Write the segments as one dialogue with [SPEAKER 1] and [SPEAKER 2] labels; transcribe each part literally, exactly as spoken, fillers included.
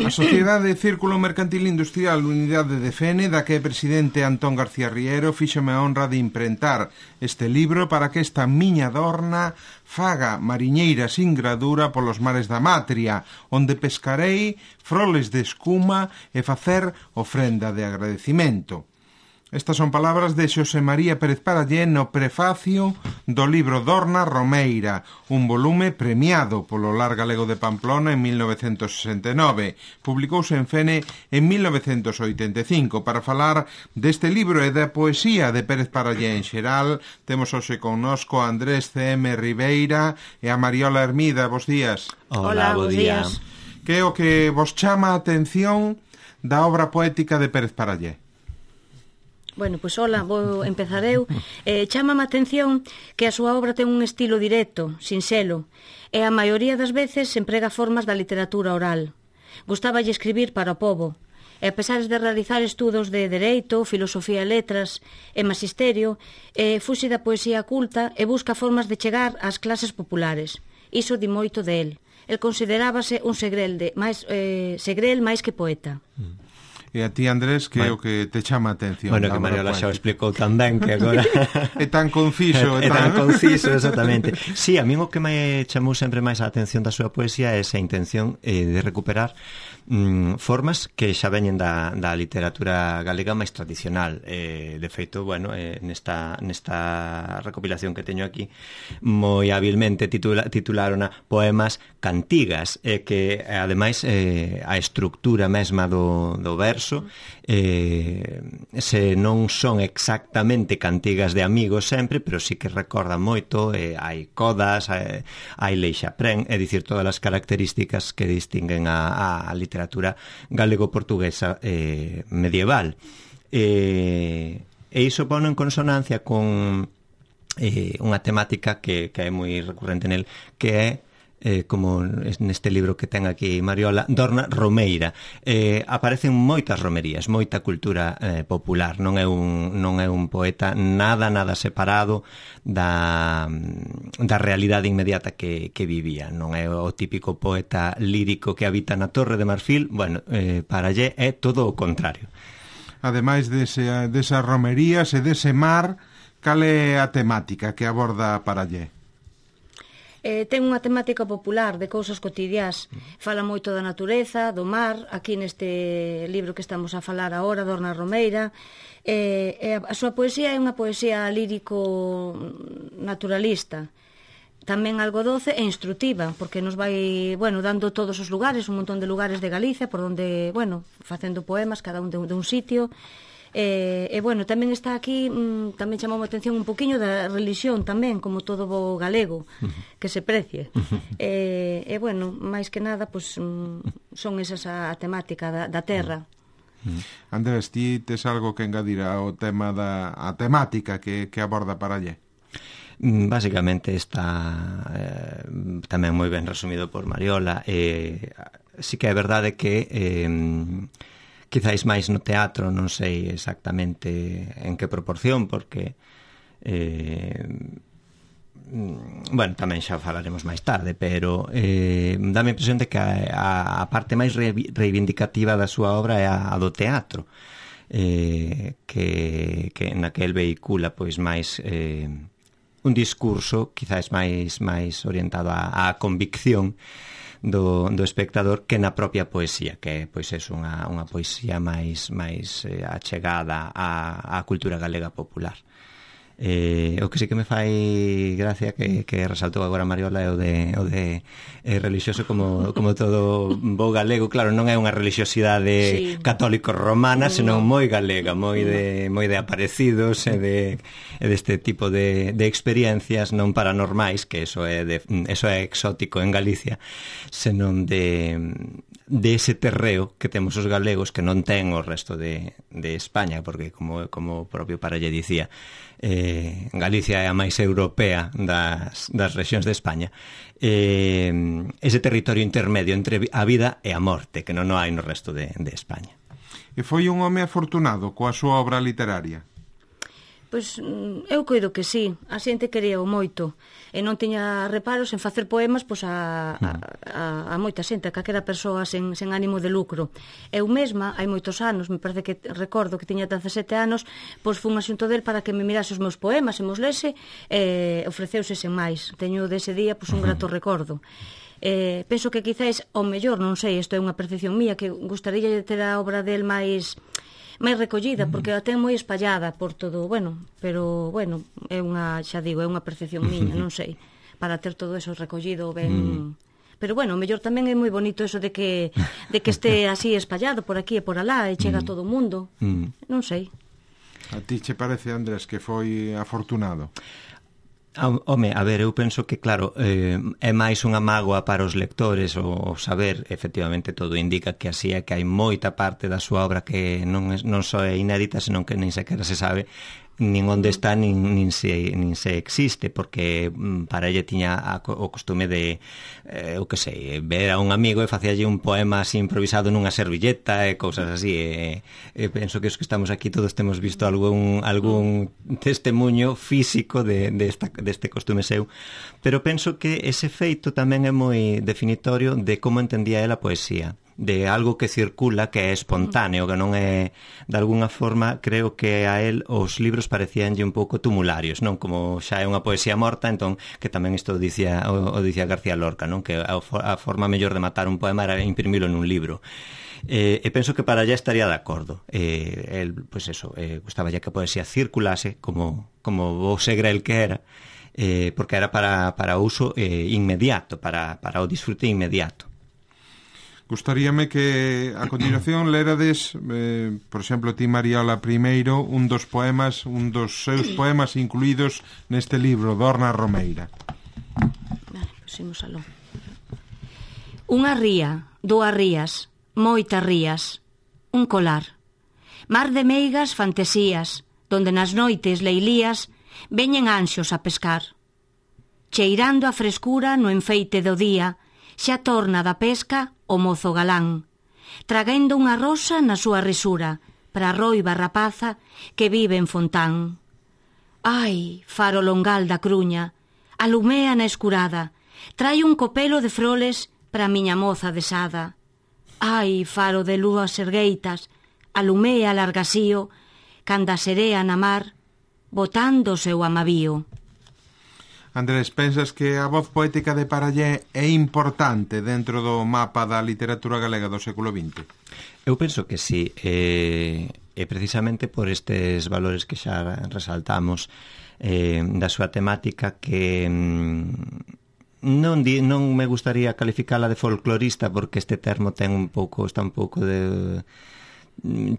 [SPEAKER 1] A Sociedade Círculo Mercantil Industrial Unidade de Fene, da que é presidente Antón García Riero, fíxome a honra de imprentar este libro para que esta miña dorna faga mariñeira sin gradura polos mares da Matria, onde pescarei froles de escuma e facer ofrenda de agradecimento. Estas son palabras de Xosé María Pérez Parallé no prefacio do libro Dorna Romeira, un volume premiado polo Lar Galego de Pamplona en mil novecentos sesenta e nove. Publicouse en Fene en mil novecentos oitenta e cinco. Para falar deste libro e da poesía de Pérez Parallé en xeral, temos hoxe connosco a Andrés C M Ribeira e a Mariola Hermida. Bos días.
[SPEAKER 2] Hola, bos días.
[SPEAKER 1] Que é o que vos chama a atención da obra poética de Pérez Parallé?
[SPEAKER 2] Bueno, pois hola, vou empezar eu. Eh, chámame a atención que a súa obra ten un estilo directo, sinxelo, e a maioría das veces emprega formas da literatura oral. Gustáballe escribir para o pobo, e a pesar de realizar estudos de Dereito, Filosofía e Letras e Magisterio, eh, fuxe da poesía culta e busca formas de chegar ás clases populares. Iso di moito de él. El considerábase un segrel, de, máis, eh, segrel máis que poeta.
[SPEAKER 1] Mm. E a ti, Andrés, que é o que te chama a atención?
[SPEAKER 3] Bueno, que Mariola xa o explicou tan ben que agora...
[SPEAKER 1] É tan conciso.
[SPEAKER 3] É tan conciso, exactamente. Sí, a mí o que me chamou sempre máis a atención da súa poesía é esa intención eh, de recuperar mm, formas que xa veñen da, da literatura galega máis tradicional. Eh, de feito, bueno, eh, nesta, nesta recopilación que teño aquí, moi hábilmente titula, titularona Poemas Cantigas, eh, que, ademais, eh, a estructura mesma do, do verso eh, se non son exactamente cantigas de amigos sempre, pero sí que recordan moito, eh, hai codas, hai, hai leixaprén, é dicir, todas as características que distinguen a, a literatura galego-portuguesa eh, medieval. Eh, e iso pone en consonancia con eh, unha temática que, que é moi recurrente nel, que é Eh, como neste libro que ten aquí Mariola, Dorna Romeira. Eh, aparecen moitas romerías, moita cultura eh, popular. Non é un, non é un poeta nada, nada separado da, da realidade inmediata que, que vivía. Non é o típico poeta lírico que habita na Torre de Marfil. Bueno, eh, Parallé é todo o contrario.
[SPEAKER 1] Ademais dese, desas romerías e dese mar, cal é a temática que aborda Parallé?
[SPEAKER 2] Eh, ten unha temática popular de cousas cotidiás. Fala moito da natureza, do mar, aquí neste libro que estamos a falar agora, Dorna Romeira. Eh, eh, a súa poesía é unha poesía lírico naturalista, tamén algo doce e instructiva, porque nos vai, bueno, dando todos os lugares, un montón de lugares de Galicia, por onde, bueno, facendo poemas, cada un de, de un sitio. E, e bueno, tamén está aquí, mm, tamén chamou a atención un poquinho da religión tamén, como todo o galego, que se precie. e, e bueno, máis que nada, pues, mm, son esas a, a temática da, da terra.
[SPEAKER 1] Andrés, ti tes algo que engadir ao tema da a temática que, que aborda Parallé?
[SPEAKER 3] Básicamente está eh, tamén moi ben resumido por Mariola. Eh, sí que é verdade que eh, quizáis máis no teatro, non sei exactamente en que proporción, porque eh, bueno, tamén xa falaremos máis tarde, pero eh, dá-me a impresión de que a, a parte máis reivindicativa da súa obra é a, a do teatro, eh, que, que na que el vehicula pois máis eh, un discurso quizáis máis, máis orientado á, á convicción Do, do espectador que na propia poesía, que pois é unha, unha poesía máis, máis eh, achegada á, á cultura galega popular. Eh, o que sí que me fai gracia que, que resaltou agora Mariola é o de, o de eh, religioso como, como todo bo galego. Claro, non é unha religiosidade sí. católico-romana, senón moi galega, moi de, moi de aparecidos e de e deste tipo de, de experiencias non paranormais, que eso é, de, eso é exótico en Galicia, senón de de ese terreo que temos os galegos que non ten o resto de, de España, porque como, como o propio Parallé dicía, eh, Galicia é a máis europea das, das rexións de España, eh, ese territorio intermedio entre a vida e a morte que non hai no resto de, de España.
[SPEAKER 1] E foi un home afortunado coa súa obra literaria?
[SPEAKER 2] Pois eu coido que sí, a xente quería o moito e non tiña reparos en facer poemas pois a, a, a, a moita xente, a calquera persoa sen, sen ánimo de lucro. Eu mesma, hai moitos anos, me parece que recordo que tiña dezasete anos, pois fun asunto del para que me mirase os meus poemas e mos lese, e ofreceuse sen máis. Teño dese día pois un grato recordo. Eh, penso que quizáis, ao mellor, non sei, isto é unha percepción mía, que gustaría ter a obra del máis máis recollida, porque a ten moi espallada por todo, bueno, pero, bueno, é unha, xa digo, é unha percepción miña, non sei, para ter todo eso recollido ben... Pero, bueno, o mellor tamén é moi bonito eso de que de que este así espallado por aquí e por alá e chega a todo o mundo, non sei.
[SPEAKER 1] A ti che parece, Andrés, que foi afortunado?
[SPEAKER 3] Home, a ver, eu penso que, claro, eh, é máis unha mágoa para os lectores o saber, efectivamente, todo indica que así é, que hai moita parte da súa obra que non, é, non só é inédita, senón que nin sequera se sabe nin onde está, nin, nin, se, nin se existe, porque para ella tiña a, o costume de, eh, eu que sei, ver a un amigo e facíalle un poema así improvisado nunha servilleta e cousas así, e, e penso que os que estamos aquí todos temos visto algún, algún testemunho físico de, de esta, deste costume seu, pero penso que ese feito tamén é moi definitorio de como entendía ela a poesía, de algo que circula, que é espontáneo, que non é, de alguna forma, creo que a él os libros parecíanlle un pouco tumularios, non? Como xa é unha poesía morta, entón, que tamén isto dicía, o, o dicía García Lorca, non? Que a, a forma mellor de matar un poema era imprimilo nun libro. Eh, e penso que para allá estaría de acordo. Eh, el, pois eso, eh, gustaba ya que a poesía circulase, como, como o Segrel que era, eh, porque era para, para uso eh, inmediato, para, para o disfrute inmediato.
[SPEAKER 1] Gustaríame que a continuación lerades, eh, por exemplo, ti, Mariola, primeiro un dos poemas, un dos seus poemas incluídos neste libro, Dorna Romeira.
[SPEAKER 2] Vale, pusimos aló. Unha ría, dúas rías, moitas rías, un colar, mar de meigas fantasías, donde nas noites leilías veñen anxos a pescar. Cheirando a frescura no enfeite do día, xa torna da pesca o mozo galán, tragando unha rosa na súa risura para a roiva rapaza que vive en Fontán. Ai, faro longal da Cruña, alumea na escurada, trai un copelo de froles para a miña moza desada. Ai, faro de lúas ergueitas, alumea largasío, canda serea na mar, botando o seu amavío.
[SPEAKER 1] Andrés, pensas que a voz poética de Parallé é importante dentro do mapa da literatura galega do século vinte?
[SPEAKER 3] Eu penso que sí, e, e precisamente por estes valores que xa resaltamos eh, da súa temática que mm, non, di, non me gustaría calificala de folclorista, porque este termo ten un pouco, está un pouco de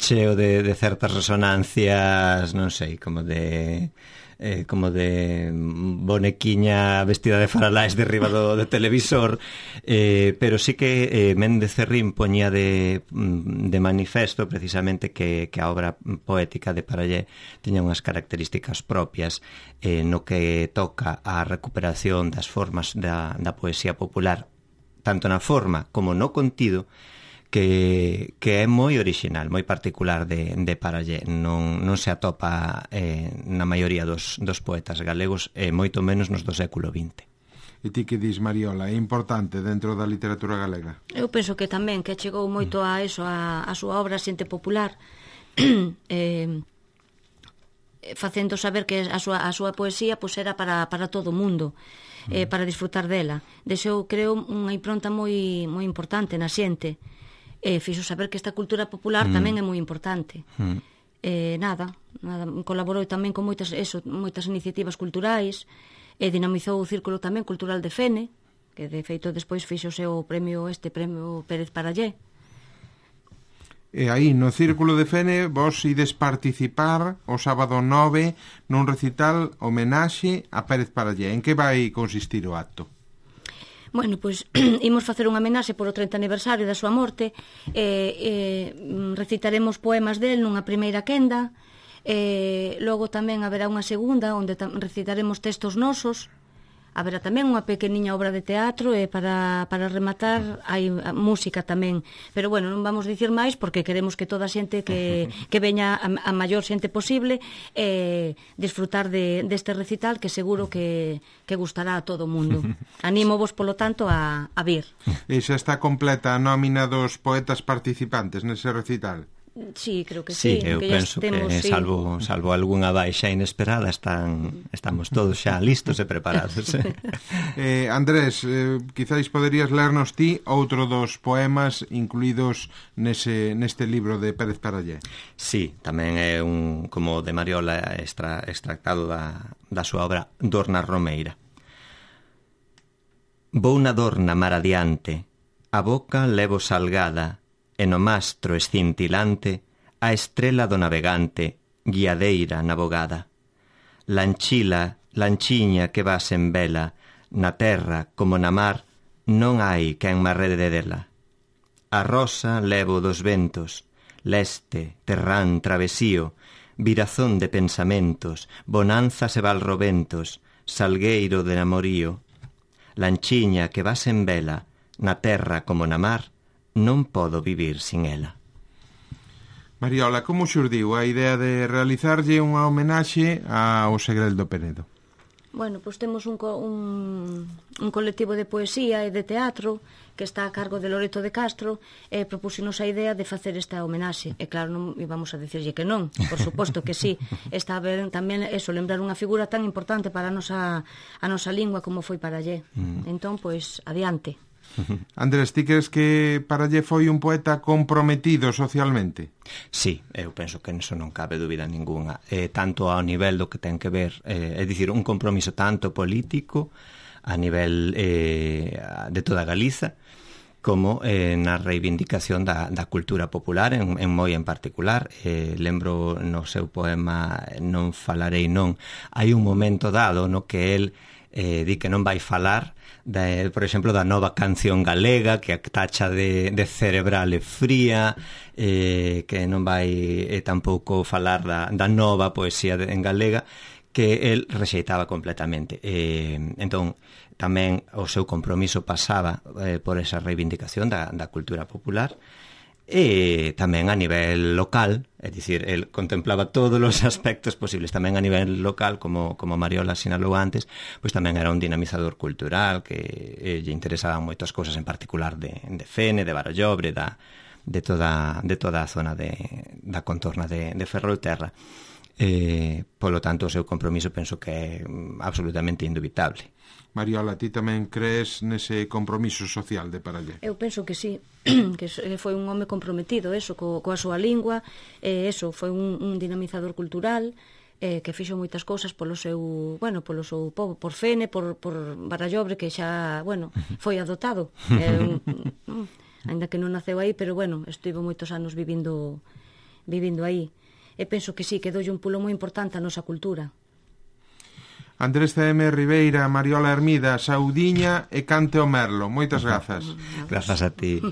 [SPEAKER 3] cheo de, de certas resonancias, non sei, como de... Eh, como de bonequiña vestida de faralaes derriba do, do televisor, eh, pero sí que eh, Méndez Cerrín poñía de, de manifesto precisamente que, que a obra poética de Parallé tiña unhas características propias eh, no que toca a recuperación das formas da, da poesía popular, tanto na forma como no contido, que, que é moi original, moi particular de, de Parallé. Non, non se atopa eh, na maioría dos, dos poetas galegos, e eh, moito menos nos do século vinte.
[SPEAKER 1] E ti que dis, Mariola, é importante dentro da literatura galega?
[SPEAKER 2] Eu penso que tamén, que chegou moito a eso, a, a súa obra xente popular, eh, facendo saber que a súa, a súa poesía pois, era para, para todo o mundo, eh, para disfrutar dela. Deseo, creo, unha impronta moi, moi importante na xente. E fixo saber que esta cultura popular mm. tamén é moi importante. Mm. Eh, nada, nada, colaborou tamén con moitas, eso, moitas iniciativas culturais, e dinamizou o Círculo tamén cultural de Fene, que de feito despois fixose o premio este premio Pérez Parallé.
[SPEAKER 1] E aí, no Círculo de Fene, vos ides participar o sábado nove nun recital homenaxe a Pérez Parallé. En que vai consistir o acto?
[SPEAKER 2] Bueno, pois imos facer unha homenaxe por o treinta aniversario da súa morte, e, e recitaremos poemas del nunha primeira quenda, e logo tamén haberá unha segunda onde recitaremos textos nosos, haberá tamén unha pequeniña obra de teatro e para, para rematar hai música tamén. Pero bueno, non vamos dicir máis porque queremos que toda a xente que, que veña a, a maior xente posible eh, disfrutar de, deste recital que seguro que, que gustará a todo o mundo. Anímovos, polo tanto, a, a vir.
[SPEAKER 1] E xa está completa a nómina dos poetas participantes nese recital?
[SPEAKER 2] Sí, creo que
[SPEAKER 3] sí.
[SPEAKER 2] sí.
[SPEAKER 3] Eu
[SPEAKER 2] que
[SPEAKER 3] penso
[SPEAKER 2] temos,
[SPEAKER 3] que,
[SPEAKER 2] sí.
[SPEAKER 3] salvo, salvo algunha baixa inesperada, están, estamos todos xa listos e preparados.
[SPEAKER 1] eh, Andrés, eh, quizáis poderías lernos ti outro dos poemas incluídos nese, neste libro de Pérez Parallé.
[SPEAKER 3] Sí, tamén é un, como de Mariola, extra, extractado da, da súa obra Dorna Romeira. Vou na dorna mar adiante, a boca levo salgada, e no mastro escintilante a estrela do navegante guiadeira na bogada. Lanchila, lanchiña que vas en vela, na terra como na mar non hai quen me arrede dela. A rosa levo dos ventos, leste, terrán, travesío, virazón de pensamentos, bonanzas e valroventos, salgueiro de namorío. Lanchiña que vas en vela, na terra como na mar, non podo vivir sin ela.
[SPEAKER 1] Mariola, como xurdiu a idea de realizarlle unha homenaxe ao Segreldo Penedo?
[SPEAKER 2] Bueno, pois temos un, co, un, un colectivo de poesía e de teatro que está a cargo de Loreto de Castro e propúxenos a idea de facer esta homenaxe. E claro, non íbamos a dicirlle que non, por suposto que sí. Está ben tamén eso, lembrar unha figura tan importante para a nosa, a nosa lingua como foi Parallé. Mm. Entón, pois, adiante.
[SPEAKER 1] Andrés, ti crees que Parallé foi un poeta comprometido socialmente?
[SPEAKER 3] Sí, eu penso que eso non cabe dúbida ninguna, eh, tanto ao nivel do que ten que ver, eh, é dicir, un compromiso tanto político a nivel eh, de toda Galiza como eh, na reivindicación da, da cultura popular en, en moi en particular. Eh, lembro no seu poema Non falarei non, hai un momento dado no que el eh, di que non vai falar de, por exemplo, da nova canción galega que a tacha de, de cerebral e fría, eh, que non vai eh, tampouco falar da, da nova poesía de, en galega, que el rexeitaba completamente. Eh, entón, tamén o seu compromiso pasaba eh, por esa reivindicación da, da cultura popular, e tamén a nivel local, é dicir, el contemplaba todos os aspectos posibles, tamén a nivel local, como, como Mariola sinalou antes, pois tamén era un dinamizador cultural que eh, lle interesaban moitas cousas, en particular de, de Fene, de Barallobre, da, de, toda, de toda a zona de, da contorna de, de Ferrolterra. Eh, polo tanto, o seu compromiso penso que é absolutamente indubitable.
[SPEAKER 1] Mariola, ti tamén crees nese compromiso social de Parallé?
[SPEAKER 2] Eu penso que sí, que foi un home comprometido, eso, co, coa súa lingua, e eso, foi un, un dinamizador cultural, eh, que fixo moitas cousas polo seu, bueno, polo seu povo, por Fene, por, por Barallobre, que xa, bueno, foi adoptado. Eh, ainda que non naceu aí, pero bueno, estivo moitos anos vivindo, vivindo aí. E penso que sí, que doulle un pulo moi importante a nosa cultura.
[SPEAKER 1] Andrés C M Ribeira, Mariola Hermida, Saudiña e Cante o Merlo. Moitas grazas.
[SPEAKER 3] Grazas a ti.